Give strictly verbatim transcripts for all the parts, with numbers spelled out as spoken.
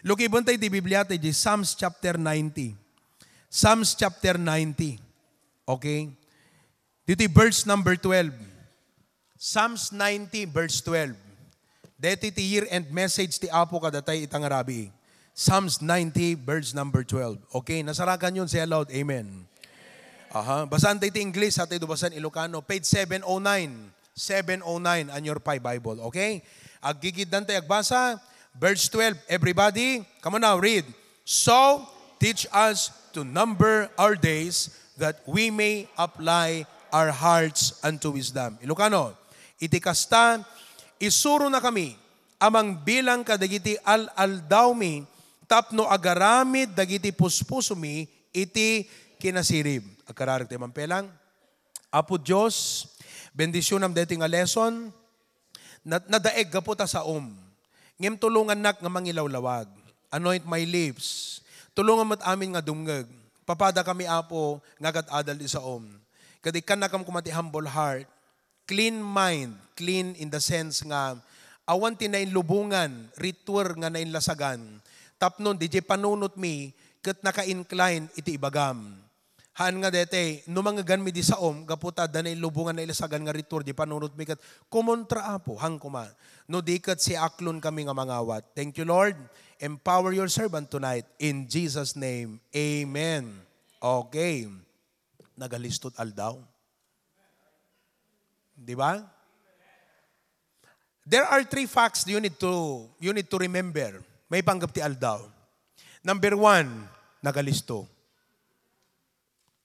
Lukiben tayo ti Biblia tayo di Psalms chapter ninety. Psalms chapter ninety. Okay? Dito verse number twelve. Psalms ninety, verse twelve. Dito ti year-end message ti Apo kadatayo ita nga rabii. Psalms ninety, verse number twelve. Okay, nasarakan yun, say aloud, "Amen." Aha, basaan tayo ti English, sa tayo basan Ilocano. Page seven oh nine. Seven oh nine on your Pi Bible, okay? Aggigiddan tayo agbasa. Verse twelve, everybody, come on now, read. "So, teach us to number our days that we may apply our hearts unto wisdom." Ilocano, iti kasta, isuronakami a mangbilang kadagiti al-aldawmi tapno agaramid dagiti puspusomi iti kinasirib. Agkararag tayo mampelang. Apo Dios, bendisyonam daytoy nga lesson. Na-, nadaeg gapu ta saom. Ngem tulongannak nga mangilawlawag. Anoint my lips. Tulongan met amin nga dumngeg. Papadakami, Apo, nga agad-adal ti saom. Ket ikkannakam koma ti humble heart. Clean mind, clean in the sense nga awan ti nainlubongan, ritual nga nainlasagan, tapno diay panunotmi ket naka-incline iti ibagam. Haan nga daytoy, no mangngeganmi di saom, gapu ta adda nainlubongan, nailasagan nga ritual di panunotmi ket kumontra, Apo, haan koma. No di ket siaklon kami nga mangawat. Thank you, Lord. Empower your servant tonight. In Jesus' name, amen. Okay. Nagalistot aldaw. Di ba? There are three facts you need to, you need to remember. Maipanggep ti aldaw. Number one, nagalisto.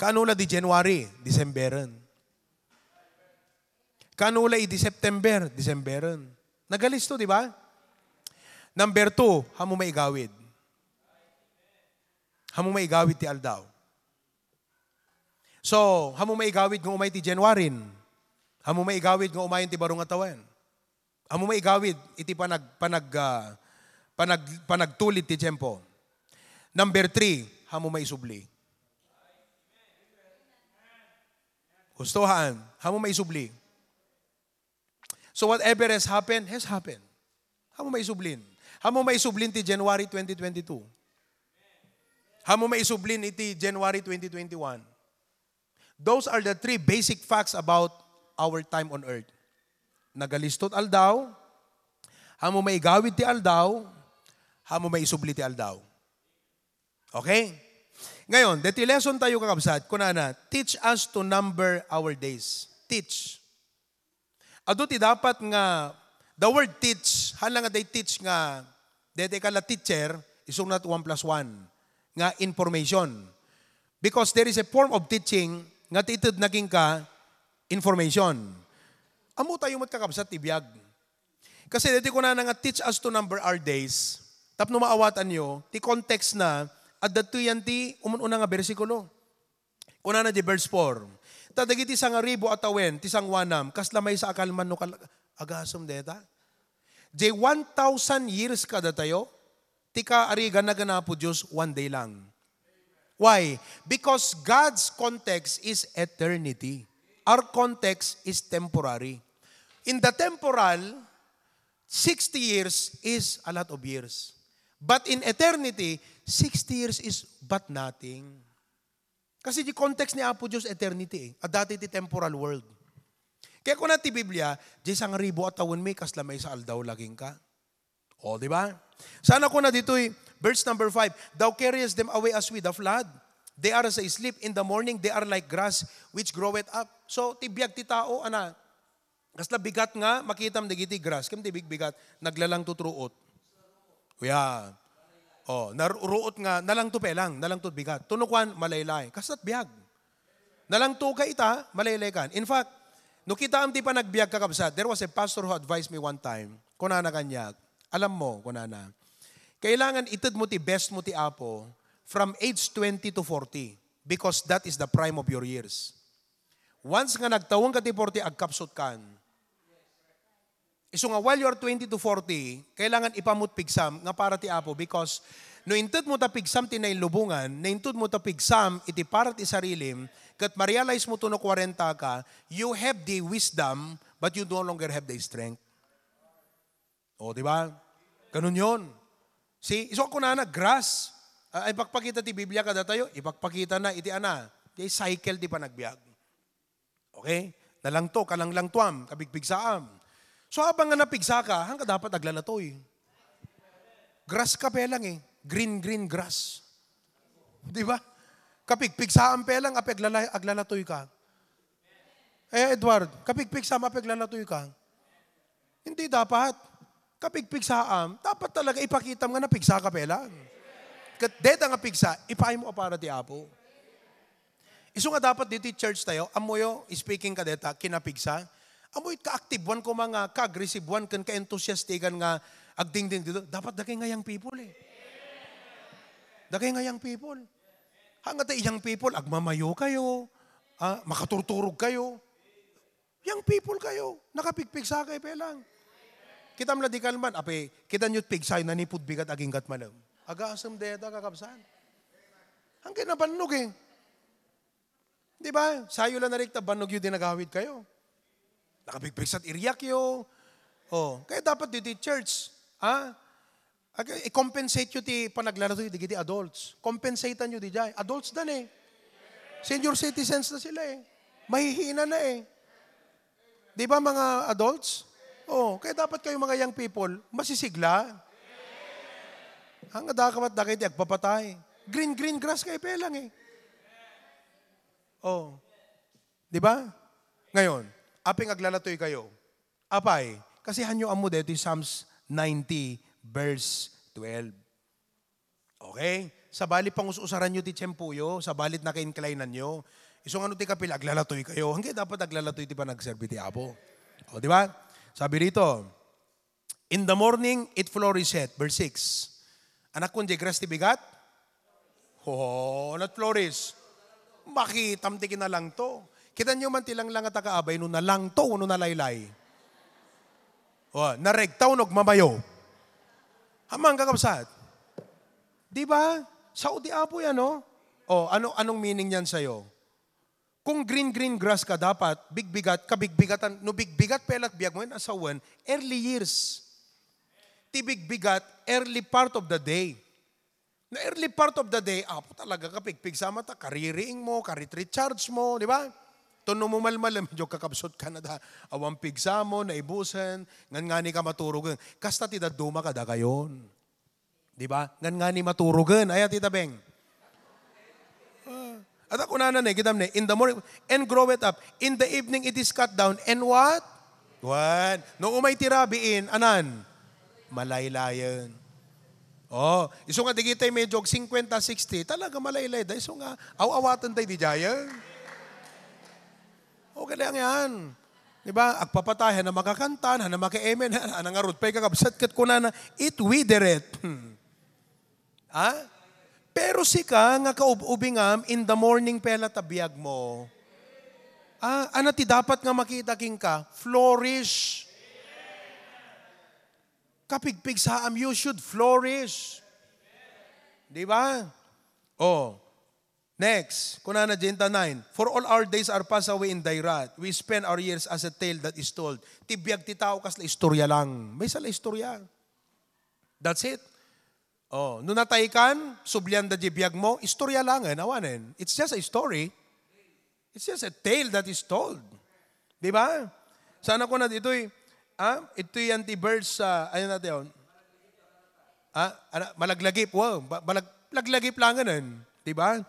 Kaano la di January, Decemberen. Kaano la idi September, Decemberen. Nagalisto, di ba? Number two, haan mo maigawid. Haan mo maigawid ti aldaw. So, haan mo maigawid nga umay ti January. Haan mo maigawid nga umayen ti baro nga tawen. Haan mo maigawid iti panag-, panag-, ah, panag-, panagtulid ti tiempo. Number three, haan mo maisubli. Gusto haan, haan mo maisubli. So whatever has happened, has happened. Haan mo maisublin. Haan mo maisublin ti January twenty twenty-two. Haan mo maisublin iti January twenty twenty-one. Those are the three basic facts about our time on earth. Nagalistot aldaw, haan mo maigawid ti aldaw, haan mo maisubli ti aldaw. Okay? Ngayon, deti lesson tayo, kakabsat, kunana, "Teach us to number our days." Teach. Adu ti dapat nga, the word teach, haan la nga day teach nga, daytoy ka la teacher, isuna ti one plus one, nga information. Because there is a form of teaching nga ti ited na kenka information. Ammo tayo met, kakabsat, ti biag. Kasi daytoy kunana nga, "Teach us to number our days." Tapno maawatanyo, ti context na, adda ti yan ti umun-una nga bersikulo. Kunana di verse four, "Ta dagiti sangaribu a tawen ti sanguanam, kasla maysa a kalman no kal-," agasem deta. Di one thousand years kadatayo, ti kaarigan na ken Apo Dios one day lang. Why? Because God's context is eternity. Our context is temporary. In the temporal, sixty years is a lot of years. But in eternity, sixty years is but nothing. Kasi di context ni Apo Dios eternity eh. Adda ti temporal world. Kaya kuna ti Biblia, "Di sangribu a tawenmi, kasla maysa aldaw la kenka." O, di ba? Sana kuna ditoy, verse number five, "Thou carriest them away as with a flood. They are as a sleep. In the morning, they are like grass which groweth up." So, ti biag ti tao, ana, kasla bigat nga makitam dagiti grass, ken ti bigbigat, naglalangtot ruot. Uya. O, nar-, ruot nga, nalangto pe lang, nalangto bigat. Tuno kuan, malaylay. Kaslat biag. Nalangto ka ita, malaylay kan. In fact, no kitaem ti panagbiag, kakabsat, there was a pastor who advised me one time. Kunana kaniak, "Alam mo," kunana, "kailangan ited mo ti best mo ti Apo from age twenty to forty, because that is the prime of your years." Once nga nagtawen ka ti forty, agkapsut kan. Isu nga while you are twenty to forty, kailangan ipamut pigsam nga para ti Apo, because no inted mo ta pigsam ti nailubongan, no inted mo ta pigsam iti para ti sarilim, ket ma-realize mo to no kwarenta ka, you have the wisdom, but you no longer have the strength. O, di ba? Ganun yon. See, isu a kunana, grass. Ah, ipakpakita ti Biblia kadatayo, ipakpakita na iti ana, ti cycle ti panagbiag. Okay? Nalangto, kalanglangtuam, kapigpigsaam. So, habang nga napigsa ka, hangka dapat aglalatoy. Grass ka pelang eh. Green, green grass. Di ba? Kapigpigsaam pelang, api aglala-, aglalatoy ka. Eh, Edward, kapigpigsaam, api aglalatoy ka. Hindi dapat. Kapigpigsaam, dapat talaga ipakitam nga napigsa ka pelang. Ket deta nga pigsa, ipaaymo a para ti Apo. Isu nga dapat ditoy church tayo, ammoyo, speaking ka deta, kinapigsa. Ammoyo, ka-activean koma nga, ka-aggressivean, ken ka-enthusiastican nga agdingding dito. Dapat dakay nga young people eh. Dakay nga young people. Hangata young people, agmamayo kayo, ah, makaturturog kayo. Young people kayo, nakapigpigsa kayo pelang. Kitam la di kalman, ape, kita nyo pigsa, nanipud bigat aginggat malem. Agasem deta, kakabsat. Hanggang nabannog eh. Di ba? Sayo lang narikta, bannog yun dinagawid kayo. Nakapigpigsat iriak yo. Oh, kaya dapat dito church, ha? Ag-, i-compensate yo ti panaglalatoy dagiti adults. Compensatean yo di jay. Adults dan eh. Senior citizens na sila eh. Mahihina na eh. Di ba, mga adults? Oh, kaya dapat kayo, mga young people, masisigla. Ang adakamat da kayo, di agpapatay. Green, green grass kayo pelang eh. Oh. Di ba? Ngayon, aping aglalatoy kayo. Apay, kasi hanyo ammo detoy Psalms ninety, verse twelve. Okay? Sabali pangus-usaran yo ti tiempo yo, sabali naka-incline-an yo. Isu nga no ti kapil, aglalatoy kayo. Hanggang dapat aglalatoy ti panagserbi ti Apo. O, di ba? Sabi rito, "In the morning, it flourisheth." Verse six. Anak kun, di grass ti bigat? Oh, not flourish. Makitam ti kinalangto. Kita nyo man ti langlang a tagaabay no nalangto, no nalaylay. Oh, naregtaw, no agmamayo. Amang kakabsat. Di ba? Sao ti Apo yan, no? Oh, ano, anong meaning niyan sa'yo? Kung green, green grass ka, dapat bigbigat, kabigbigatan, no bigbigat pay la ti biag mo, yan asawen, early years. Ti bigbigat, early part of the day. Na early part of the day, Apo, talaga kapigpigsa mo, ta kaririing mo, karit-recharge mo, di ba? Tono mo malmal, medyo kakabsot ka na da, awan pigsa mo, naibusen, ngan ngani ka maturugen. Kasta ti dadduma kadakayon. Di ba? Ngan ngani maturugen. Ay, Tita Beng. Ah. At ako na, nanay, kitam ne, in the morning, and grow it up. In the evening, it is cut down. And what? Wan. No umay ti rabiin, anan? Malaylayen. Oh, isu nga digitay medyo fifty, sixty, talaga malaylay da. Isu nga, aw-awaten tayo di jayen. Okay lang yan. Di ba? Agpapatay, hana makakanta, hana maka-amen, hana ngarud pay kakabsat, ket kunana, "It withered." Hmm. Ha? Pero sika nga kaub-ubingam, in the morning pela ta biag mo. Ah, ano ti dapat nga makita kinka? Flourish. Kapigpigsaam, you should flourish. Di ba? Oh. Next, kunana, Jenta nine, "For all our days are passed away in thy wrath. We spend our years as a tale that is told." Ti biag ti tao kas la istorya lang. Maysa la istorya. That's it. Oh, no natay kan, sublian da di biag mo, istorya langen, awanen. It's just a story. It's just a tale that is told. Di ba? Sana ko na ditoy, ah, ito yan ti verse, ah, ano natin yun? Ah, ano, malaglagip, wow, ba-, malag-, laglagip langen, di ba?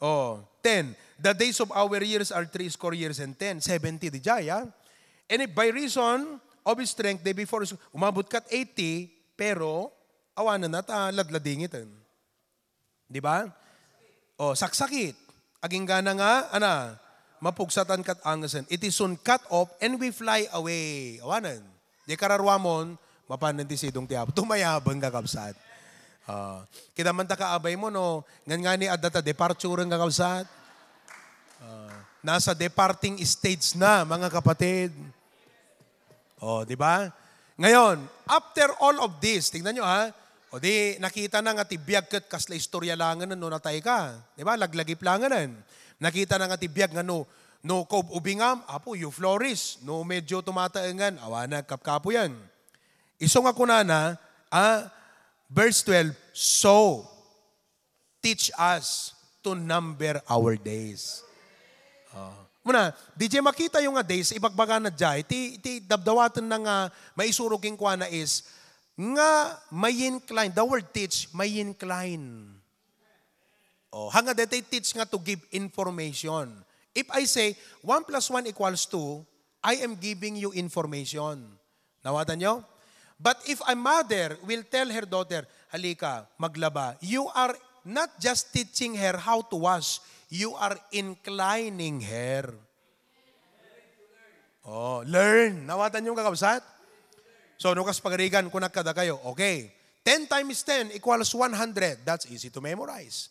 Oh, ten. "The days of our years are three score years and ten." Seventy di jay, ah. "And if by reason of his strength they be four score," umabot kat eighty, pero awanen na ta ladladingiten. Di ba? Oh, saksakit. Agingga na nga, ana, mapugsatan kat angesen. It is soon cut off and we fly away. Awanen. Di kararuamon, mapanen ti sidong ti Apo. Tumayabang, kakabsat. Ah, kita man ta kaabay mo, no? Ngan nga ni adda ta departure, kakabsat. Ah, nasa departing stage na, mga kapatid. Oh, di ba? Ngayon, after all of this, tingnan nyo ha, o di, nakita na nga ti biag ket kasla istorya langen no natay ka. Di ba? Laglagip langen. Nakita na nga ti biag nga no, no kaub-ubingam, Apo, you flourish. No medyo tumataengan, awanen, kapkapo yan. Isu nga kunana, ah, Verse twelve, "So, teach us to number our days." Ah. Muna, di jay makita yung nga days, ibagbaga na jay, ti, ti dabdawaten na nga maisuro kenkuana is, nga may incline, the word teach, may incline. Oh, hanga deti teach nga to give information. If I say, "One plus one equals two," I am giving you information. Nawatan nyo? But if a mother will tell her daughter, "Halika, maglaba," you are not just teaching her how to wash, you are inclining her. Oh, learn. Nawatan yung kakabsat? So, no kas pagarigan, kunak kadakayo, okay, ten times ten equals one hundred. That's easy to memorize.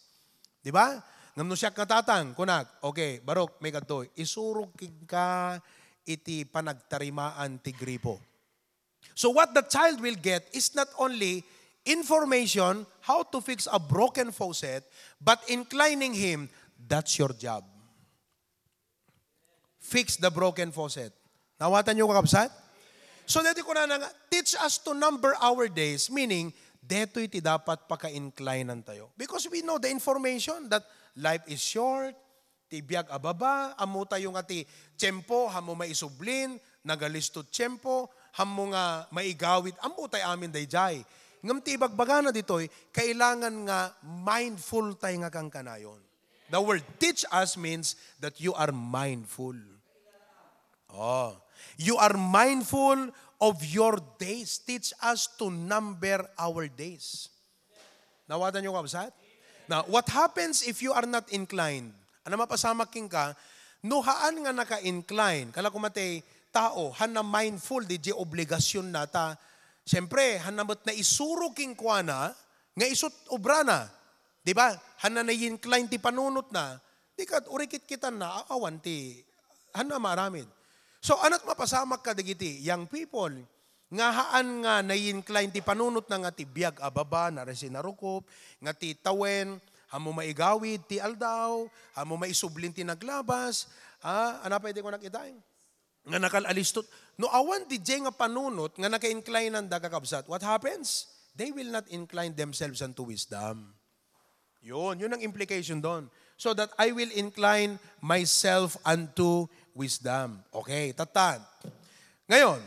Di ba? Ngem no siak nga tatang, kunak, "Okay, Barok, may kadto, isurog kenka iti panagtarimaan ti gripo." So what the child will get is not only information how to fix a broken faucet, but inclining him, "That's your job. Fix the broken faucet." Nawatan nyo, kakabsat? So, deti kunana nga, "Teach us to number our days," meaning, detoy ti dapat paka-inclinan tayo. Because we know the information that life is short, ti biag a baba, ammo tayo nga ti tiempo, ammo maisublin, nagalisto tiempo, ammo nga maigawid, ammo tay amin dayjay. Ngem ti ibagbagana ditoy, kailangan nga mindful tay nga kankanayon. The word teach us means that you are mindful. Oh, you are mindful of your days. Teach us to number our days. Nawatan nyo, kabsat? Now, what happens if you are not inclined? Ano mapasamak kenka? No haan nga naka-incline, kala ko matay tao, han na mindful di di obligasyon nata. Siyempre, han na met naisuro kenkuana, nga isut obrana. Di ba? Han na na-incline ti panunot na, di ka, urikit kita na, awan ti, han na maaramid. So, anat mapasamak ka dagiti young people, nga haan nga na-incline ti panunot na nga ti biag a baba, na resi narukop, nga ti tawen, ammo maigawid ti aldaw, ammo maisublin ti naglabas, ah, ano pa iti kunak itay? Nga nakal-alistot. No awan di jay nga panunot nga naka-incline-an da kakabsat, what happens? They will not incline themselves unto wisdom. Yun, yun ang implication doon. So that I will incline myself unto wisdom. Okay, tatan. Ngayon,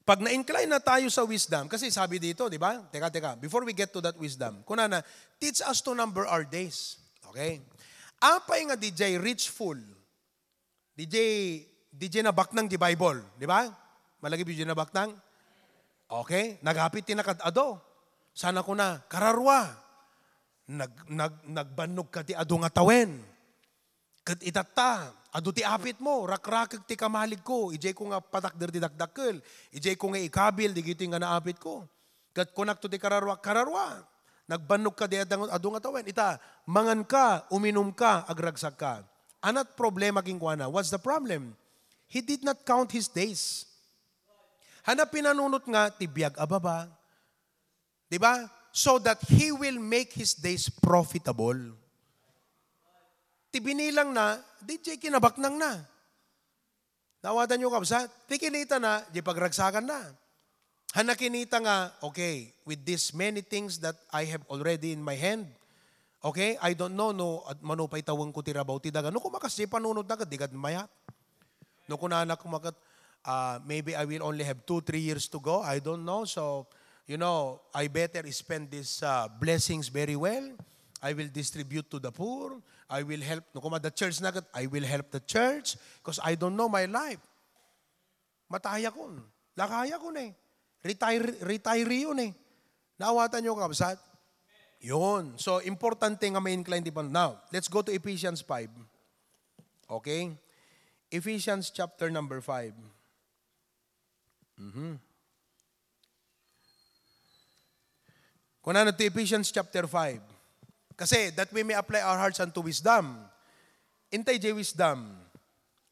pag na-incline na tayo sa wisdom, kasi sabi dito, di ba? Teka, teka, before we get to that wisdom, kunana, "Teach us to number our days." Okay? Apay nga di jay reachful? Di jay, di jay nabaknang di Bible, di ba? Malagip di jay nabaknang? Okay? Nagapit ti nakad-ado. Sana kuna, kararua, nag-, nag-, nagbannog ka ti adu nga tawen. Ket itatta, adu ti apit mo, rakrakek ti kamalig ko, ijay ko nga patakder ti dakdakkel, ijay ko nga ikabil, digitoy nga naapit ko. Ket kunakto ti kararua, "Kararua, nagbannog ka di adu nga tawen. Ita, mangan ka, uminum ka, agragsak ka." Anat problema kenkuana? What's the problem? He did not count his days. Hana pinanunot nga ti biag a baba. Di ba? So that he will make his days profitable. Ti binilang na, di jay kinabaknang na. Nawatanyo, kabsat? Ti kinita na, di pagragsakan na. Hana kinita nga, "Okay, with these many things that I have already in my hand, okay, I don't know no, at manupay tawen ko ti rabaw ti daga." No, kumakas di panunot na, di kad mayat. No, kunana kumakat, "Ah, maybe I will only have two, three years to go. I don't know. So, you know, I better spend these, ah, blessings very well. I will distribute to the poor. I will help." No, kuma the church na kat, "I will help the church because I don't know my life." Matayakon. Lakayakon eh. Retire, retiree yun eh. Naawatan nyo, kabsat? Yun. So, importante nga ma-incline di pa. Now, let's go to Ephesians five. Okay? Ephesians chapter number five. Mhm. Kunana ti Ephesians chapter five. Kasi that we may apply our hearts unto wisdom. Intay jay wisdom.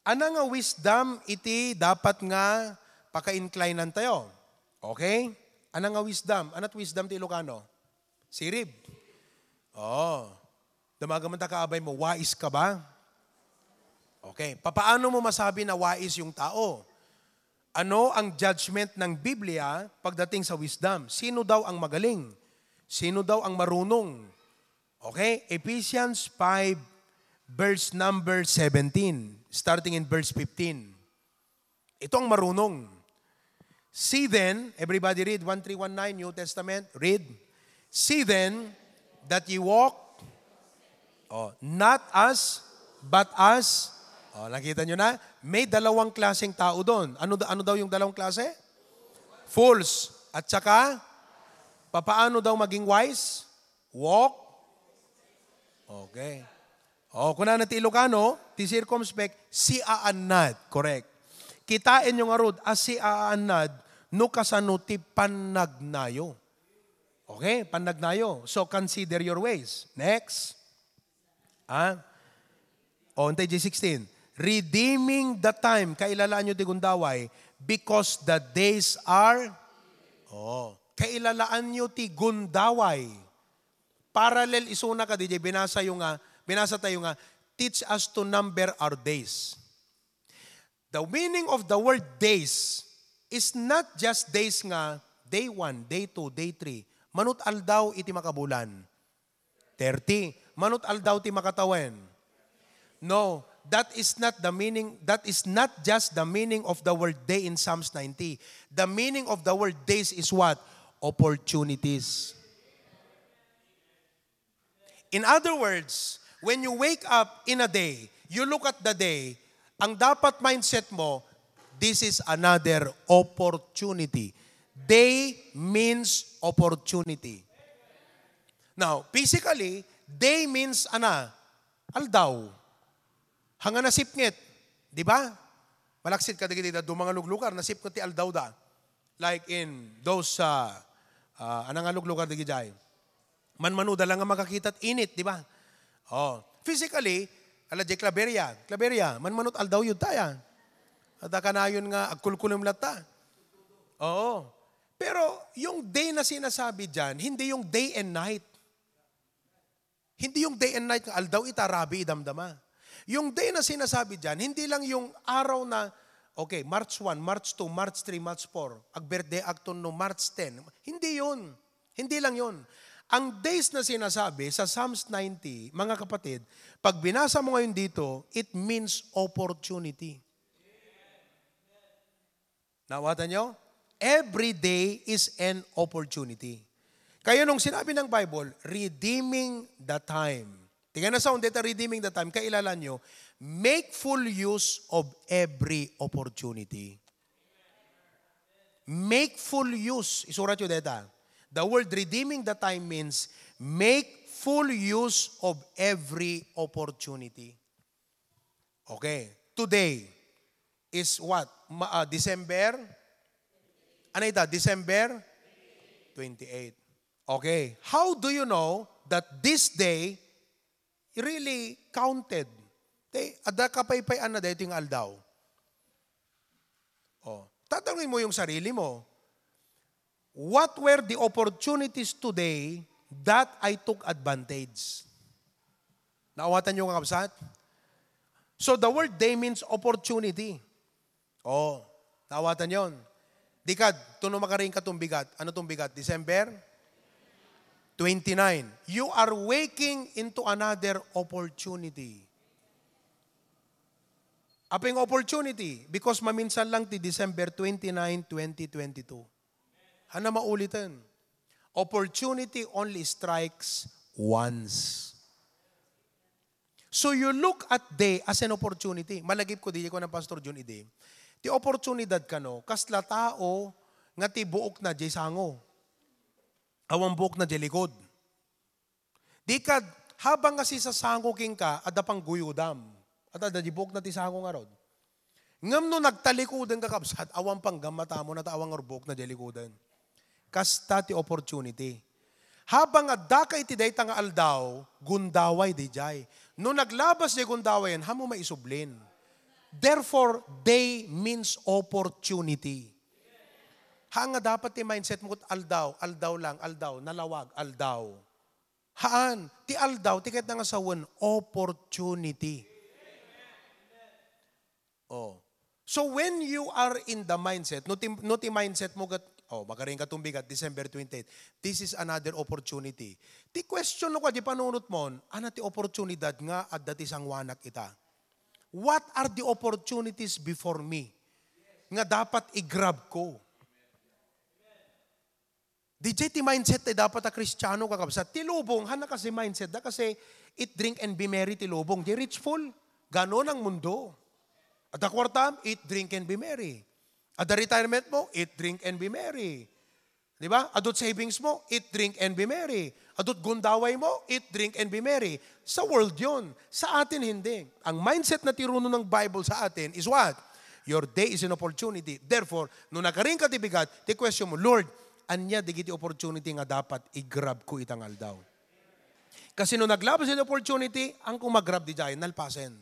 Ana nga wisdom iti dapat nga paka-inclinan tayo? Okay? Ana nga wisdom? Anat wisdom ti Ilocano? Sirib. Oo. Damaga man ta kaabay mo, wais ka ba? Okay. Papaano mo masabi na wais yung tao? Ano ang judgment ng Biblia pagdating sa wisdom? Sino daw ang magaling? Sino daw ang marunong? Okay, Ephesians five, verse number seventeen, starting in verse fifteen. Ito ang marunong. See then, everybody read, one three one nine, New Testament, read. See then that ye walk, oh, not as, but as, oh, nakita nyo na? May dalawang klaseng tao doon. Ano, ano daw yung dalawang klase? Fools. At saka, papaano daw maging wise? Walk. Okay. O, kunana ti Ilocano, ti circumspect, siaannad. Correct. Kitaenyo ngarud a siaannad no kasano ti pannagnayo. Okay, pannagnayo. So, consider your ways. Next. Ah? O, untay J sixteen. Redeeming the time. Kailalaanyo ti gundaway because the days are, oh, kailalaanyo ti gundaway. Parallel isuna kadi jay binasa yo nga, binasa tayo nga, "Teach us to number our days." The meaning of the word days is not just days nga day one, day two, day three. Manut aldaw iti makabulan? Thirty. Manut aldaw ti makatawen? No, that is not the meaning, that is not just the meaning of the word day in Psalms ninety. The meaning of the word days is what? Opportunities. In other words, when you wake up in a day, you look at the day, ang dapat mindset mo, this is another opportunity. Day means opportunity. Now, physically, day means ana, aldaw. Hanga nasipnget, di ba? Malaksid kadagiti dadduma nga luglugar, nasipnget ti aldawda. Like in those, uh, uh, ano nga luglugar dagiti jay? Manmanuda lang nga makakita ti init, di ba? Oh, physically, ala jay Claveria. Claveria, manmanut aldaw yun tayo. At kanayon nga agkulkulem latta. Oo. Pero yung day na sinasabi dyan, hindi yung day and night. Hindi yung day and night nga aldaw ita, rabii idamdama. Yung day na sinasabi dyan, hindi lang yung araw na, okay, March one, March two, March three, March four, ag-birthday akton no March ten. Hindi yun. Hindi lang yun. Ang days na sinasabi sa Psalms ninety, mga kapatid, pag binasa mo ngayon dito, it means opportunity. Naawatan nyo? Every day is an opportunity. Kaya nung sinabi ng Bible, "Redeeming the time." Tingnan na sa undeta, "Redeeming the time." Kailala nyo, make full use of every opportunity. Make full use. Isurat nyo deta. The word "redeeming the time" means make full use of every opportunity. Okay. Today is what? Ma-, ah, December? Ano ita? December twenty-eight. Okay. How do you know that this day really counted? Te, adda kapaypayan na daytoy nga aldaw. Oh, tatanungin mo yung sarili mo, "What were the opportunities today that I took advantage?" Naawatan nyo, kakabsat? So, the word day means opportunity. Oh, naawatan yon. Di kad, tuno makaring ka tumbigat. Ano tumbigat? December twenty-nine. You are waking into another opportunity. Aping opportunity, because maminsan lang ti December twenty-nine, twenty twenty-two. Hana mauliten. Opportunity only strikes once. So you look at day as an opportunity. Malagip ko, di ko na Pastor Jun idi. Ti oportunidad kano, kasla tao nga ti buok na jay sango. Awan buok na jay likod. Di kad, habang nga sisasango kenka, adda pangguyodam. At adda di buok na ti sango ngarud. Ngem no nagtalikoden ka, kabsat, awan panggammatamo na ta awan nga buok na di likoden. Kasta ti opportunity. Habang adda ka iti dayta nga aldaw, gundaway dijay. No naglabas di gundawayen, hamo maisublin. Therefore, day means opportunity. Ha nga dapat ti mindset mo ket aldaw, aldaw lang, aldaw, nalawag, aldaw. Haan, ti aldaw, ti kayatna nga sawen, opportunity. Oh. So when you are in the mindset, no ti, no ti mindset mo ket, Oh, makaring ka tumbigat, December twenty-eight. This is another opportunity. Ti question no kadi panunot mon, ano ti oportunidad nga adda ti sanguanak ita? What are the opportunities before me nga dapat i-grab ko? Di jay ti mindset ti dapat a Kristiano, kakabsat. Ti lubong, hana kasi mindset da kasi eat, drink, and be merry ti lubong. Di rich fool, ganon ang mundo. Adda kuartam, eat, drink, and be merry. Adda retirement mo, eat, drink, and be merry. Di ba? Adut savings mo, eat, drink, and be merry. Adut gundaway mo, eat, drink, and be merry. Sa world yon. Sa atin, hindi. Ang mindset na tiruno ng Bible sa atin is what? Your day is an opportunity. Therefore, no nakaring ka ti bigat, ti question mo, Lord, ania digiti opportunity nga dapat i-grab ko itang aldaw? Kasi no naglabas iti opportunity, ang kung mag-grab di jay, nalpasen.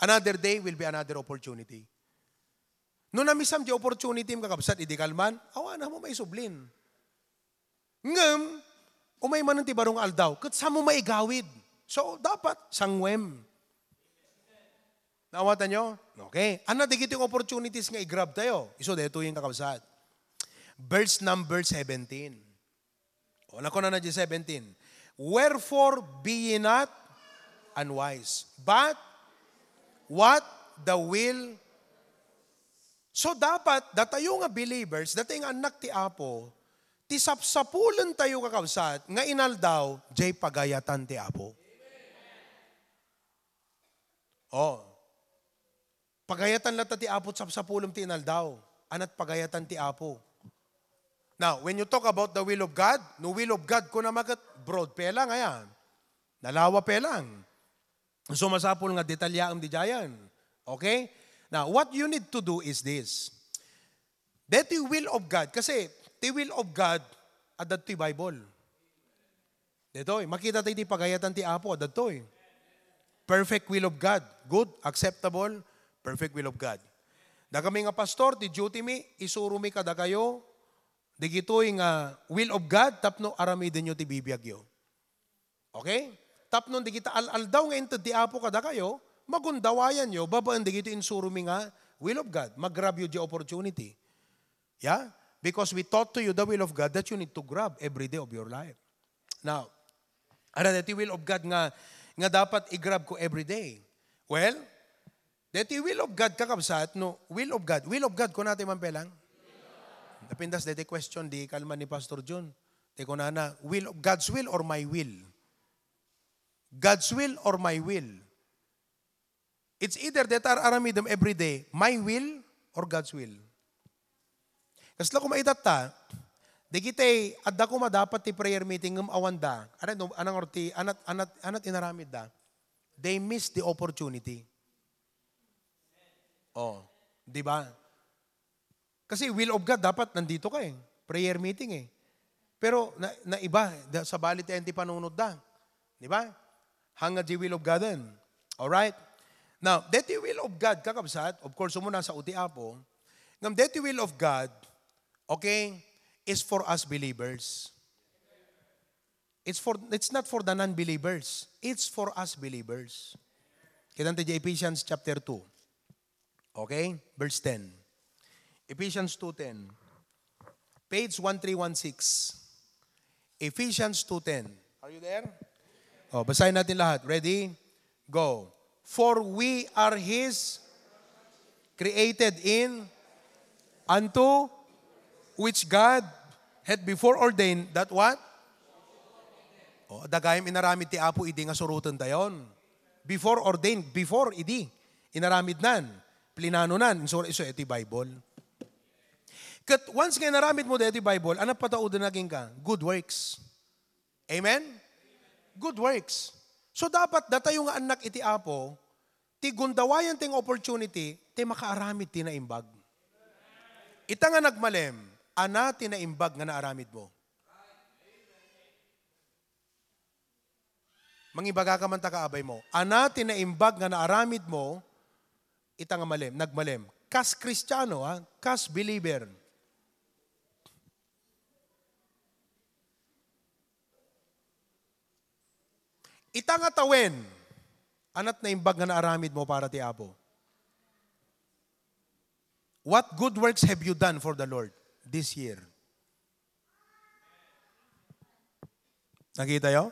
Another day will be another opportunity. No namisam di opportunity, kakabsat, idi kalman, awan mo maisublin. Ngem, umay manen ti baro nga aldaw, ket saan mo maigawid? So, dapat, sanguem. Naawatan nyo? Okay. Ano digiti opportunities nga i-grab tayo? Isu daytoy yung kakabsat. Verse number seventeen. O, nakunana di seventeen. "Wherefore be ye not unwise, but what the will." So, dapat, datayo nga believers, datayo nga annak ti Apo, ti sapsapulen tayo, kakabsat, nga inaldaw, jay pagayatan ti Apo. Oh. Pagayatan latta ti Apo, sapsapulem ti inaldaw. Anat pagayatan ti Apo. Now, when you talk about the will of God, no will of God, kuna maket broad pay lang, aya. Nalawa pay lang. So, masapul nga detalyaem di jayan. Okay? Now, what you need to do is this. Deti will of God, kasi ti will of God, adda ti Bible. Detoy, makita tayo ti pagayatan ti Apo, adda toy. Perfect will of God. Good, acceptable, perfect will of God. Da kami nga pastor, ti duty mi, isuro mi kadakayo, digitoy nga will of God, tapno aramidenyo ti bibiagyo. Okay? Tapno digita al-aldaw nga inted ti Apo kadakayo, magundawayanyo, babaen digitoy insuro mi nga will of God. Magrab yo di opportunity. Yeah? Because we taught to you the will of God that you need to grab every day of your life. Now, ano deti will of God nga, nga dapat i-grab ko every day? Well, deti will of God, kakabsat, no, will of God. Will of God, kunati man pelang? Napintas deti question, di kalman ni Pastor John. Di kunana, will of God's will or my will? God's will or my will? It's either deta ar-aramidem every day, my will or God's will. Kasla ko maitatta, dagiti adda koma dapat ti prayer meeting ngem awanda. Ano, anang orti, anat, anat, anat inaramid da? They miss the opportunity. Oh, di ba? Kasi will of God, dapat nandito ka eh. Prayer meeting eh. Pero na, naiba, da, sabali ti ayan ti panunot da. Di ba? Hanga di will of God din. Alright? Now, deti will of God, kakabsat, of course, umuna sa uti Apo. Ngam deti will of God, okay, is for us believers. It's for, it's not for the non-believers. It's for us believers. Kita ti Ephesians chapter two. Okay? Verse ten. Ephesians two ten. Page one three one six. Ephesians two ten. Are you there? Oh, basahin natin lahat. Ready? Go. "For we are His, created in, unto which God hath before ordained that" what? Oh, dagayam inaramid ti Apo idi nga suroten dayon. Before ordained, before idi. Inaramid nan, plinano nan, insura isu iti Bible. Ket once nga inaramid mo daytoy Bible, ano patauden na kenka? Good works. Amen? Good works. So dapat datayo nga annak iti Apo, ti gundawayan ti nga opportunity, ti makaaramid ti naimbag. Ita nga nagmalem, ana ti naimbag nga naaramid mo. Mangibagaka man ta kaabay mo. Ana ti naimbag nga naaramid mo, ita nga malem, nagmalem. Kas Kristiano, ha? Kas believer. Ita nga tawen, anat naimbag nga naaramid mo para ti Apo. What good works have you done for the Lord this year? Nakita yo?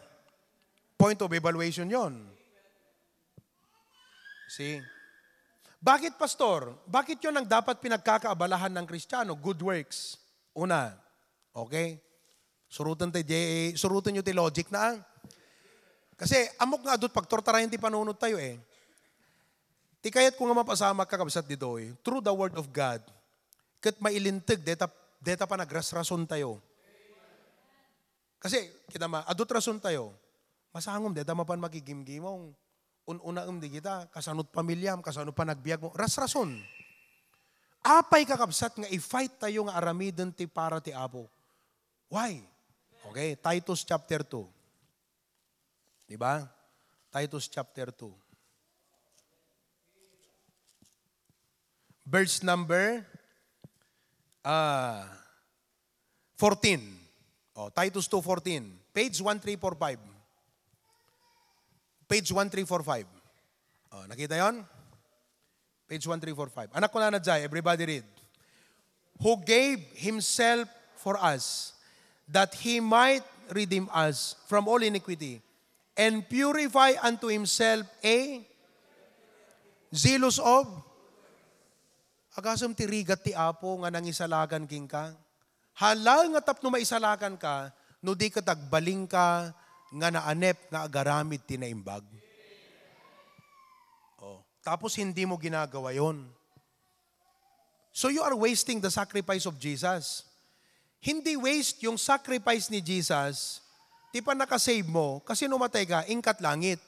Point of evaluation yon. See? Bakit, Pastor? Bakit yon ang dapat pinagkakaabalahan ng Kristiyano? Good works. Una. Okay? Suruten tayo, di, suruten nyo ti logic na. Kasi amok nga adut pagturtarayan ti panunot tayo eh. Ti kayat ko nga mapasamak, kakabsat, ditoy, through the word of God, ket mailinteg deta, deta panagrasrason tayo. Kasi, kita ma, adut rason tayo. Masangom, deta mapan makigimgimong. Un-unaem di kita, kasano't pamilyam, kasano panagbiag mo. Rasrason. Apay, kakabsat, nga i-fight tayo nga aramiden ti para ti Apo? Why? Okay, Titus chapter two. Di ba? Titus chapter two. Verse number, ah, fourteen. Oh, Titus two fourteen. Page one three four five. Page one three four five. Oh, nakita yon? Page one three four five. Anak ko na na jay, everybody read. Who gave himself for us, that he might redeem us from all iniquity, and purify unto himself a zealous of. Agasem ti rigat ti Apo nga nangisalakan kenka. Hala nga tapno maisalakan ka, no di ket agbalin ka nga naanep nga agaramid ti naimbag. Oh, tapos hindi mo ginagawa yon. So you are wasting the sacrifice of Jesus. Hindi waste yung sacrifice ni Jesus, ti pannakasave mo, kasi no matay ka, inkat langit.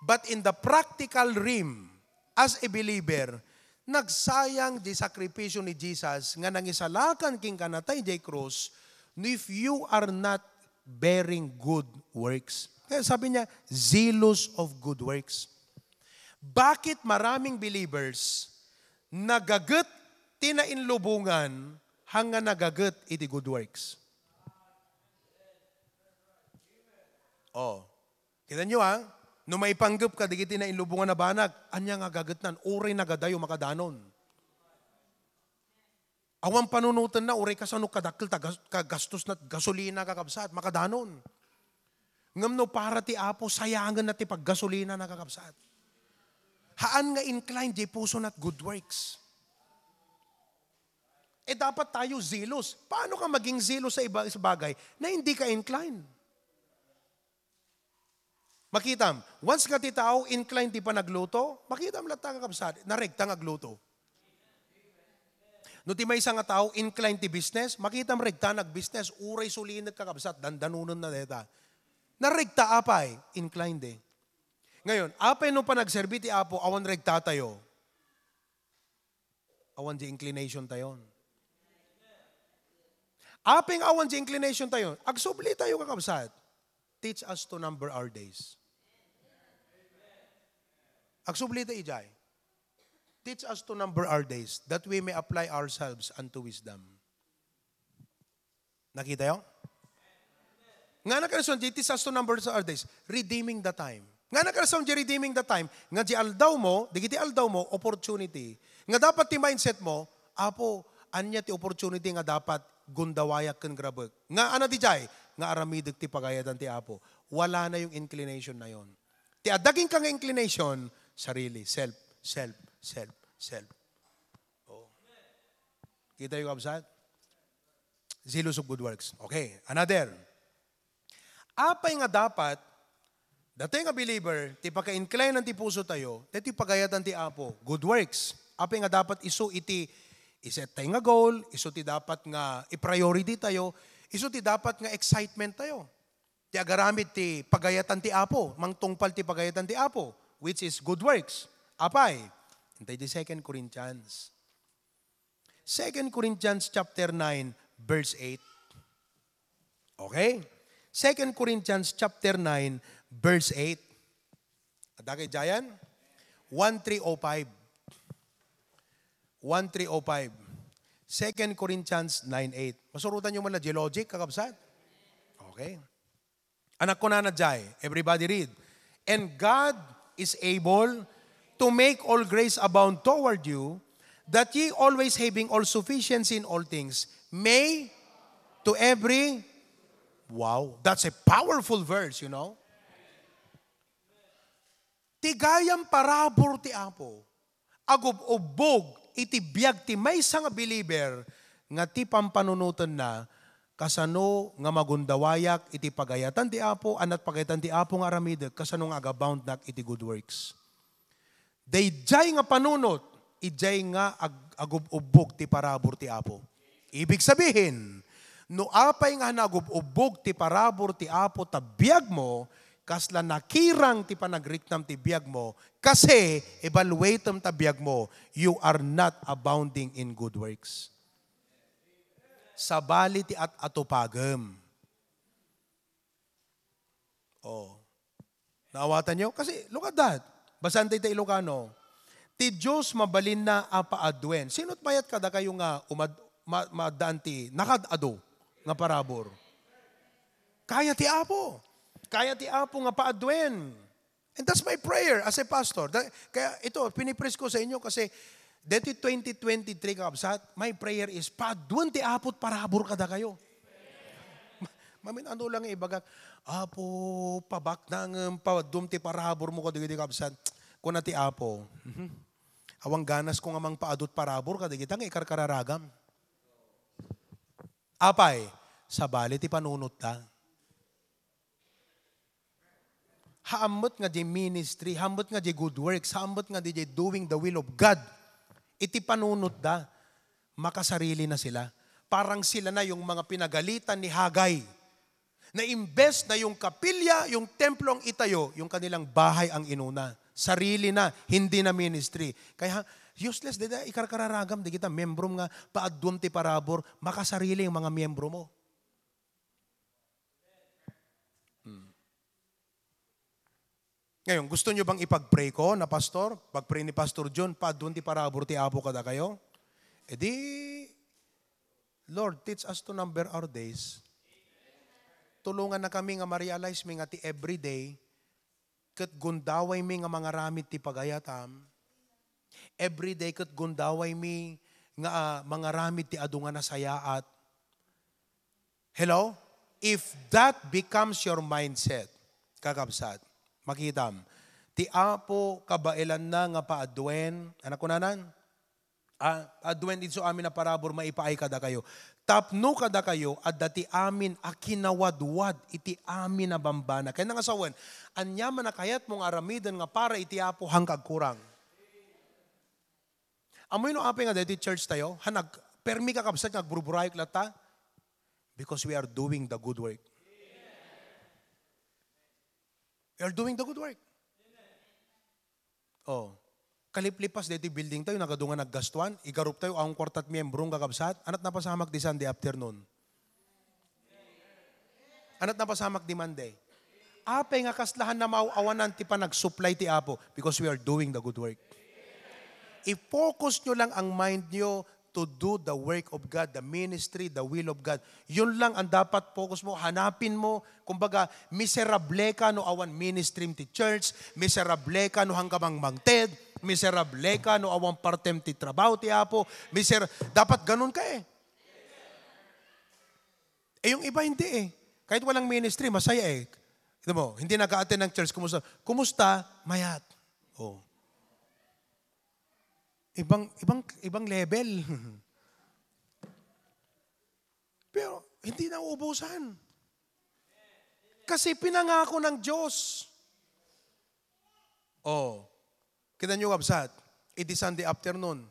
But in the practical realm, as a believer, nagsayang di sakripisyo ni Jesus nga nangisalakan king kanatay jay krus, if you are not bearing good works. Kaya sabi niya, zealous of good works. Bakit maraming believers nagaget ti nainlubungan hanga nagaget iti good works? Oh. Kita nyo, ha? No maipanggep ka dagiti nainlubungan a banag, ania nga gagetnan? Uray nagadayo, makadanon. Awan panunotenna, uray kasano kadakkel ta gas-, kagastos na gasolina, kakabsat, makadanon. Ngem no para ti Apo, sayangen na ti paggasolina na, kakabsat. Haan nga inclined di puso na good works. Eh, dapat tayo zealous. Paano ka maging zealous sa iba, sa bagay na hindi ka inclined? Makitam, once nga ti tao inclined ti panagluto, makitam latta, kakabsat, naregta nga agluto. No ti maysa nga tao inclined ti business, makitam regta nagbusiness, uray sulinek, kakabsat, dandanonen na deta. Naregta apay, inclined eh. Ngayon, apay no panagserbi ti Apo, awan regta tayo. Awan di inclination tayon. Apay nga awan di inclination tayon, agsubli tayo, kakabsat. Teach us to number our days. Agsubli tayo, ijay. Teach us to number our days that we may apply ourselves unto wisdom. Nakita yo? Nga na kanson, di teach us to number our days, redeeming the time. Nga na kanson, di redeeming the time, nga di aldaw mo, di kiti aldaw mo, opportunity. Nga dapat ti mindset mo, Apo, ania ti opportunity nga dapat gundawayak ken grabek? Nga ana di jay, nga aramidek ti pagayatan ti Apo. Wala na yung inclination na yon. Ti adaging ka nga inclination, sarili, self, self, self, self. Oh. Kita yung, kabsat? Zealous of good works. Okay, another. Apay nga dapat, datayo nga believer, ti paka-inclinean ti puso tayo, daytoy pagayatan ti Apo, good works. Apay nga dapat isu iti iset tayo nga goal, isu ti dapat nga i-priority tayo, isu ti dapat nga excitement tayo. Ti agaramid ti pagayatan ti Apo, mangtungpal ti pagayatan ti Apo, which is good works. Apay, intay di Second Corinthians. Second Corinthians chapter nine, verse eight. Okay? Second Corinthians chapter nine, verse eight. Adda kay jayan? One three oh five. One three oh five. Second Corinthians nine eight. Masurotan nyo man na geologic, kakabsat? Okay. Anak ko na na jay. Everybody read. And God is able to make all grace abound toward you, that ye always having all sufficiency in all things, may to every Wow, that's a powerful verse, you know? Ti gayam parabur ti Apo, agub-ubbog iti biag ti maysa nga believer nga ti pampanunotenna, kasano nga magundawayak iti pagayatan ti Apo, anat pagayatan ti Apo nga aramidek, kasano nga agaboundnak iti good works. Daydiay nga panunot, idiay nga ag-, agub-ubbog ti parabur ti Apo. Ibig sabihin, no apay nga nagub-ubbog ti parabur ti Apo ta biagmo, kasla nakirang ti panagriknam ti biagmo, kasi evaluatem ta biagmo, you are not abounding in good works. Sabali ti at-atupagem. Oh. Naawatan nyo? Kasi, look at that. Basaen tayo ta Ilocano. Ti Diyos mabalinna a paaduen. Sino't mayat kadakayo nga umad-, ma-, maaddaan ti nakad-adu nga parabur? Kaya ti Apo. Kaya ti Apo nga paaduen. And that's my prayer as a pastor. Da-, kaya ito, pinipres ko sa inyo kasi deti twenty twenty-three, kakabsat, my prayer is, paaduen ti Apo't parabur kadakayo. Ma-, mamin ano lang ibagak, "Apo, pabaknangem, paadum ti paraburmo kadagiti kabsat." Kuna ti Apo, "Mhm. Awan ganasko nga mangpaadut parabur kadagita nga ikarkararagam." Apay, sabali ti panunotda. Haammet nga di ministry, haammet nga di good works, haammet nga di doing the will of God. Iti panunotda, makasarili na sila. Parang sila na yung mga pinagalitan ni Hagay. Na imbes na yung kapilya, yung templo ang itayo, yung kanilang bahay ang inuna. Sarili na, hindi na ministry. Kaya useless, dida, ikarkararagam, di kita, membro nga paadum ti parabur, makasarili yung mga miyembro mo. Hmm. Ngayon, gusto nyo bang ipag-pray ko na pastor? Pag-pray ni Pastor John, paadun ti parabur ti Apo kadakayo? E di, Lord, teach us to number our days. Tulungan na kami nga ma-realize mi nga ti everyday, ket gundaway mi nga mangaramid ti pagayatam. Everyday ket gundaway mi nga, ah, mangaramid ti adu nga nasayaat. Hello? If that becomes your mindset, kakabsat, makitam, ti Apo kabaelanna nga paaduen, anak kunanan? Ah, aduen idiay amin a parabur maipaay kadakayo. Tapno kadakayo, adda ti amin a kinawadwad iti amin a bambana. Kaya nga sawen, ania man a kayatmo nga aramiden nga para iti Apo, han ka agkurang. Amoy no apay nga daytoy church tayo, han ag-, permi kakabsat nga agburburayok latta? Because we are doing the good work. We are doing the good work. Oh. Kaliplipas daytoy building tayo, nagadu nga naggastuan, igarup tayo, awan kuarta't miyembro, kakabsat, anat napasamak di Sunday afternoon. Anat napasamak di Monday. Apay nga kasla han na maaw-awanan ti panagsuplay ti Apo? Because we are doing the good work. I-focus nyo lang ang mind nyo to do the work of God, the ministry, the will of God. Yun lang ang dapat focus mo. Hanapin mo. Kumbaga, miserable ka no awan ministry ti church, miserable ka no han ka mangmangted, miserable ka no awan partem ti trabaho ti Apo, miser-, dapat ganun ka eh. Eh, yung iba hindi eh. Kahit walang ministry, masaya eh. Ito mo, hindi nag-a-attend ng church, kumusta? Kumusta? Mayat. Oh. Ibang, ibang, ibang level. Pero hindi nauubusan. Kasi pinangako ng Diyos. Oh. Kita nyo, kabsat, idi Sunday afternoon.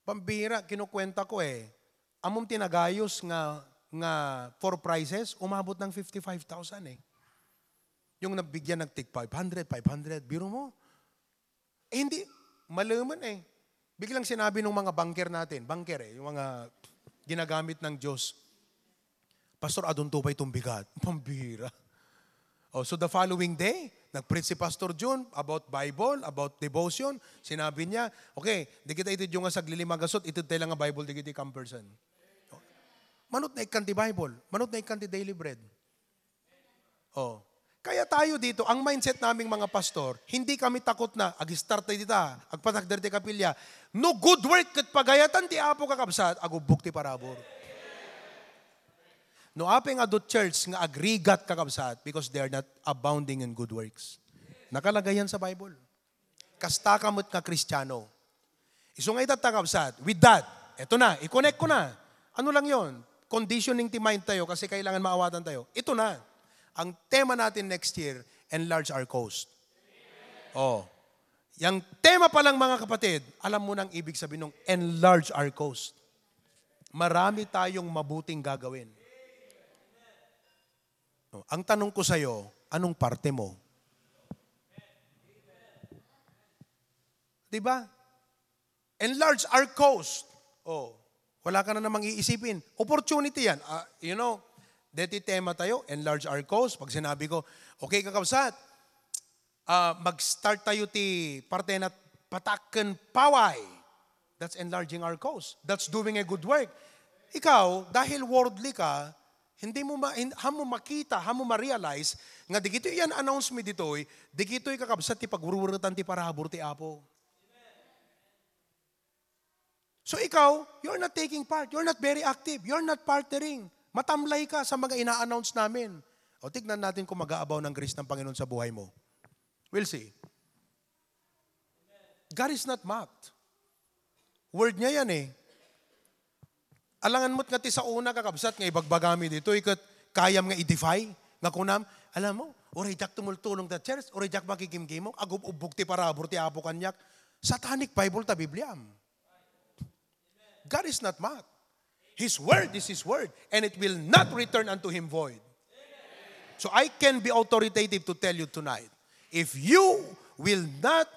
Pambira, kinukwenta ko eh. Amom ti nagayos nga, nga four prizes, umabot ng fifty-five thousand eh. Yung nabigyan ng tig five hundred, five hundred, biro mo. Eh, hindi, maluman eh. Biglang sinabi ng mga banker natin, banker eh, yung mga ginagamit ng Diyos, "Pastor, adunto ba itong bigat?" Pambira. Oh, so the following day, nag-preach si Pastor Jun about Bible, about devotion. Sinabi niya, "Okay, di kita itid yung nga saglilima gasot, itid tayo lang nga Bible, di kita campersan." Manut na ikkan ti Bible, manut na ikkan ti daily bread. Oh. Kaya tayo dito, ang mindset naming mga pastor, hindi kami takot na ag-start tayo dita, agpatakder ti kapilya. No good work ket pagayatan ti Apo, kakabsat, agubbok ti parabur. No apay nga adu church nga agrigat, kakabsat, because they are not abounding in good works. Nakalagay yan sa Bible. Kasta ka met nga Kristiano. Isu nga ita, kakabsat, with that, eto na, i-connect ko na. Ano lang yon? Conditioning ti mind tayo kasi kailangan maawatan tayo. Ito na. Ang tema natin next year, enlarge our coast. Oh. Yang tema pa lang, mga kapatid, alam mo na ang ibig sabihin ng enlarge our coast. Marami tayong mabuting gagawin. Oh, ang tanong ko sa'yo, anong parte mo? Di ba? Enlarge our coast. Oh, wala ka na namang iisipin. Opportunity yan. Ah, you know, deti tema tayo, enlarge our coast. Pag sinabi ko, okay, kakabsat, ah, mag-start tayo ti parte na pataken paway. That's enlarging our coast. That's doing a good work. Ikaw, dahil worldly ka, hindi mo ma-, hin-, han mo makita, han mo ma-realize nga digitoy yan announce mi ditoy, digitoy kakabsat ti pagwurwuretan ti parabur ti Apo. So ikaw, you're not taking part. You're not very active. You're not partnering. Matamlay ka sa mga ina-announce namin. O, tignan natin kung mag-aabaw ng grace ng Panginoon sa buhay mo. We'll see. God is not mocked. Word niya yan eh. Alangan mo't nga ti saona, kakabsat, nga ibagbagami ditoy ket kayam nga i-defy, nga kunam, alam mo, uray diak tumultulong ta church, uray diak makigimgimong, agub-ubbog ti parabur ti Apo kaniak. Satanic Bible ta Bibliam. God is not mocked. His word is His word, and it will not return unto Him void. So I can be authoritative to tell you tonight, if you will not,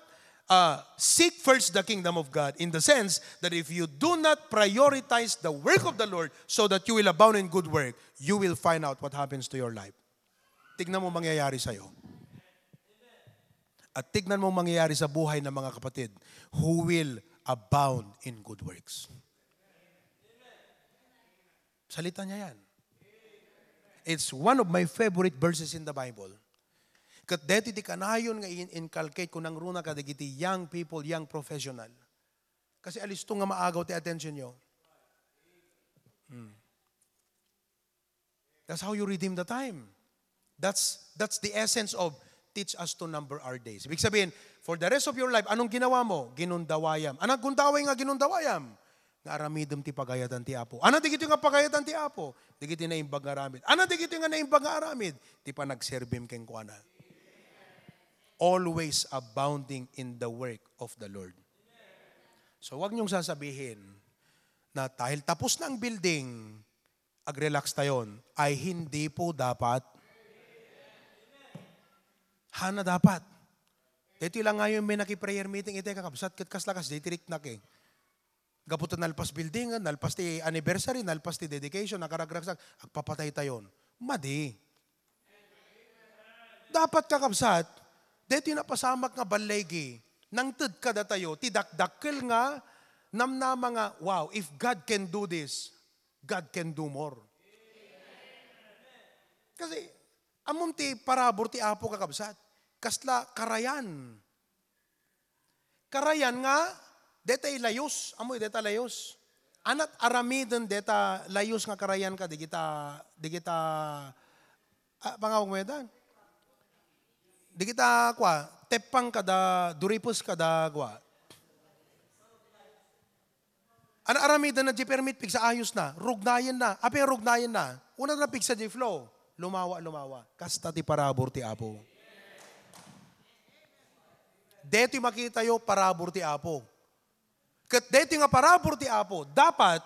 uh, seek first the kingdom of God, in the sense that if you do not prioritize the work of the Lord so that you will abound in good work, you will find out what happens to your life. Tignan mo mangyayari sa'yo. At tignan mo mangyayari sa buhay ng mga kapatid who will abound in good works. Salita niya yan. It's one of my favorite verses in the Bible. Ket deti ti kanayon nga in-, inculcate ko nangruna kadagiti young people, young professional. Kasi alisto nga maagaw ti attention nyo. Hmm. That's how you redeem the time. That's, that's the essence of teach us to number our days. Ibig sabihin, for the rest of your life, anong ginawa mo? Ginundawayam. Anong gundaway nga ginundawayam? Nga aramidem ti pagayatan ti Apo. Ano dagitoy nga pagayatan ti Apo? Dagiti naimbag nga aramid. Ano dagitoy nga naimbag nga aramid? Ti panagserbim kenkuana. Always abounding in the work of the Lord. So, wag niyong sasabihin na dahil tapos na ang building, ag-relax tayon. Ay, hindi po dapat. Hana dapat. Daytoy lang ngayon may naki-prayer meeting, iti kakabsat, ket kasla kas, daytoy riknak eh. Gapu ta nalpas building, nalpas ti anniversary, nalpas ti dedication, nakaragraksak, agpapatay tayon. Madi. Dapat, kakabsat, daytoy napasamak nga balligi, nangted kadatayo, ti dakdakkel nga namnama nga, "Wow, if God can do this, God can do more." Kasi, ammom ti parabur ti Apo, kakabsat, kasla karayan. Karayan nga, detay layus. Amoy deta layus? Anat aramiden deta layus nga karayan ka, digita, digita, ah, pangawag mo yata? Digita, kwa, teppang kada, duripes kada, kwa. Ano aramiden na di permit, pigsa ayos na, rugnayen na. Apay rugnayen na? Una na pigsa di flow. Lumawa, lumawa. Kasta ti parabur ti Apo. Deti makitayo, parabur ti Apo. Ket deti nga parabur ti Apo, dapat,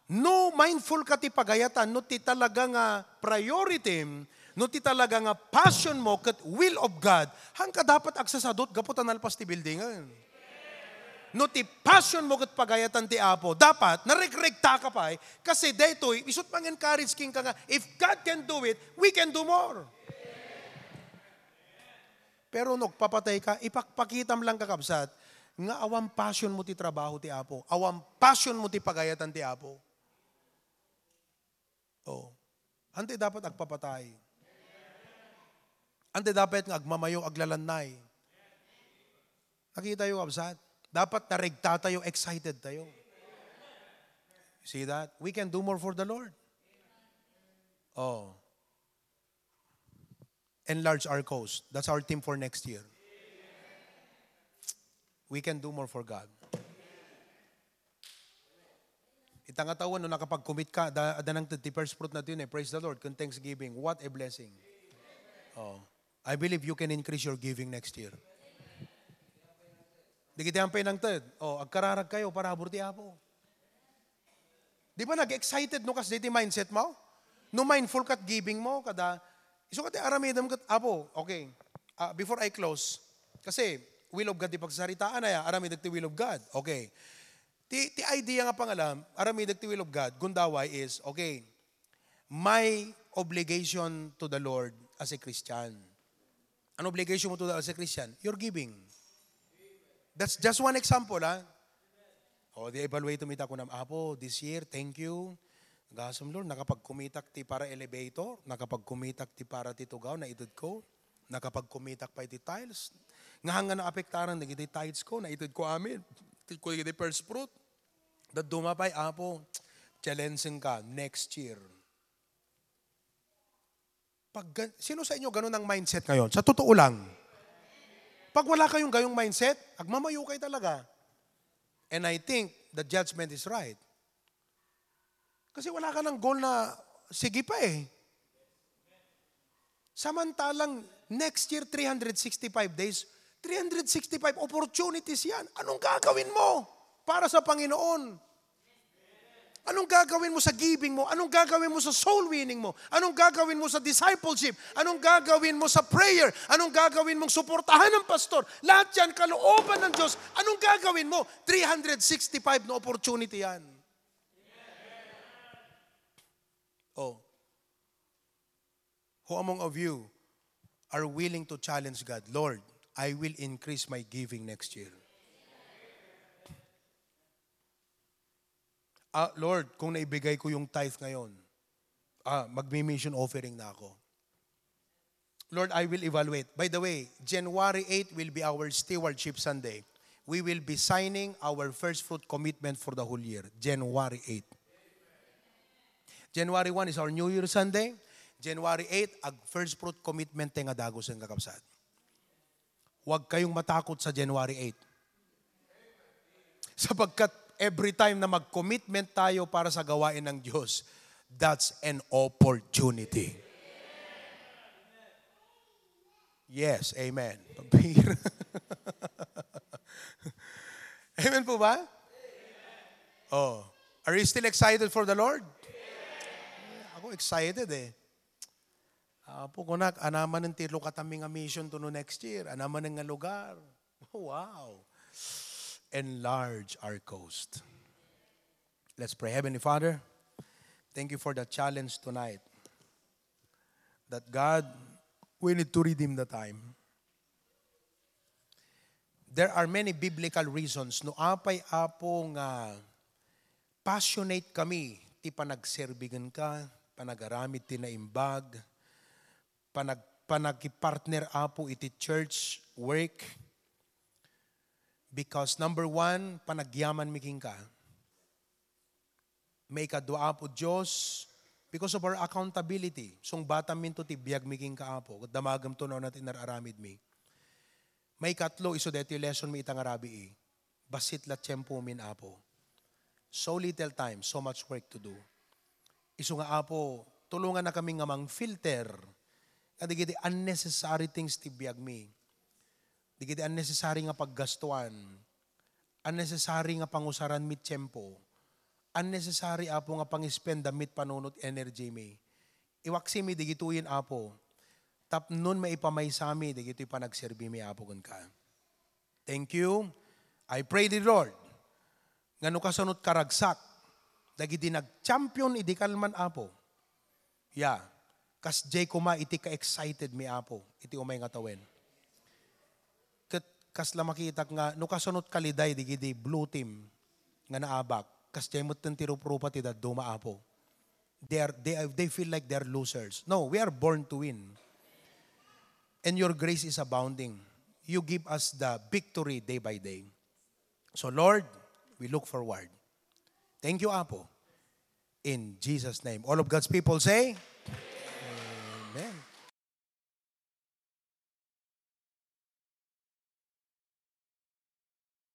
no mindful ka ti pagayatan, no ti talaga nga priority, no ti talaga nga passion mo ket will of God, haanka dapat agsasadot gapu ta nalpas ti buildingen. No ti passion mo ket pagayatan ti Apo, dapat naregregta ka pay, kasi daytoy, isut' mang-encourage kenka nga, if God can do it, we can do more. Pero no agpapatay ka, ipakpakitam lang, kakabsat, nga awan passion mo ti trabaho ti Apo, awan passion mo ti pagayatan ti Apo. Oh. Anti dapat agpapatay. Anti dapat nga agmamayo, aglalannay. Nakita yo, kabsat? Dapat naregta tayo, excited tayo. See that? We can do more for the Lord. Oh. Enlarge our coast. That's our theme for next year. We can do more for God. Ita nga tawen, no nakapag-commit ka, da, da nang ti first fruit na yun eh. Praise the Lord. Kun thanksgiving, what a blessing. Oh. I believe you can increase your giving next year. Di kita ang penangted. Oh, agkararag kayo, parabur ti Apo. Di ba nag-excited no kas di ti mindset mo? No mindful kat giving mo, kada, isu kat aramidem kat, Apo, okay. Ah, before I close, kasi will of God di pagsaritaan aya, aramidem ti will of God. Okay. Ti, ti idea nga pangalam, aramidem ti will of God, gundaway is, okay, my obligation to the Lord as a Christian. An obligation mo to the, as a Christian? Your giving. That's just one example, ha? O, di evaluate mo ita kunam, Apo, this year, thank you. Gasam, Lord, nakapagkumitak ti para elevator, nakapagkumitak ti para ti tugaw, naited ko, nakapagkumitak pa iti tiles. Nga hanggang naapektaran dagiti tithes ko, naited ko amin. Ti ko dagiti first fruit. Dadduma pay, Apo, challenge ka next year. Pag, sino sa inyo ganun ang mindset ngayon? Sa totoo lang. Pag wala kayong gayong mindset, agmamayo kayo talaga. And I think the judgment is right. Kasi wala ka ng goal na sige pa eh. Samantalang next year, three hundred sixty-five days, three hundred sixty-five opportunities yan. Anong gagawin mo para sa Panginoon? Anong gagawin mo sa giving mo? Anong gagawin mo sa soul winning mo? Anong gagawin mo sa discipleship? Anong gagawin mo sa prayer? Anong gagawin mong suportahan ng pastor? Lahat yan, kalooban ng Diyos. Anong gagawin mo? Three hundred sixty-five na opportunity yan. Oh. Who among of you are willing to challenge God, "Lord, I will increase my giving next year." Ah, Lord, kung naibigay ko yung tithe ngayon, ah, magmi-mission offering na ako. Lord, I will evaluate. By the way, January eight will be our Stewardship Sunday. We will be signing our first fruit commitment for the whole year. January eight. January one is our New Year Sunday. January eight, ag first fruit commitment tayo nga dagusen, kakabsat. Huwag kayong matakot sa January eight. Sapagkat every time na mag-commitment tayo para sa gawain ng Diyos, that's an opportunity. Yes, amen. Pambihira. Amen po ba? Oh. Are you still excited for the Lord? Ako excited eh. Apo, kunak, anaman ti lukatami nga mission to no next year. Anaman nga lugar. Wow. Enlarge our coast. Let's pray. Heavenly Father, thank you for the challenge tonight. That God, we need to redeem the time. There are many biblical reasons no apay, Apo, nga passionate kami ti panagserbi kenka, panagaramid ti naimbag, panag-, panagipartner, Apo, iti church work. Because number one, panagyamanmi kenka. Maikadua, Apo Dios, because of our accountability, sungbatanminto ti biagmi kenka, Apo, ket damagemto no ania ti inar-aramidmi. Maikatlo, isu daytoy lessonmi ita nga rabii, bassit la tiempomin, Apo. So little time, so much work to do. Isu nga, Apo, tulongannakami nga mang-filter kadagiti unnecessary things ti biagmi. Dagiti unnecessary nga paggastuan, unnecessary nga pangusaranmi tiempo, unnecessary, Apo, nga pangispendanmi panunot energy mi. Iwaksimi digitoyen, Apo, tapnon maipamaysami dagitoy panagserbimi, Apo, kenka. Thank you. I pray, dear Lord, nga no kasanot karagsak dagiti nag-champion idi kalman, Apo. Ya, kasdiay koma iti ka-excited mi, Apo, iti umay nga tawen. Ket kasla makitak nga no kasanot kaliday digidi blue team nga naabak, kasdiay metten ti ruprupa ti dadduma, Apo. They are, they are, they feel like they're losers. No, we are born to win. And your grace is abounding. You give us the victory day by day. So Lord, we look forward. Thank you, Apo. In Jesus' name. All of God's people say, Amen.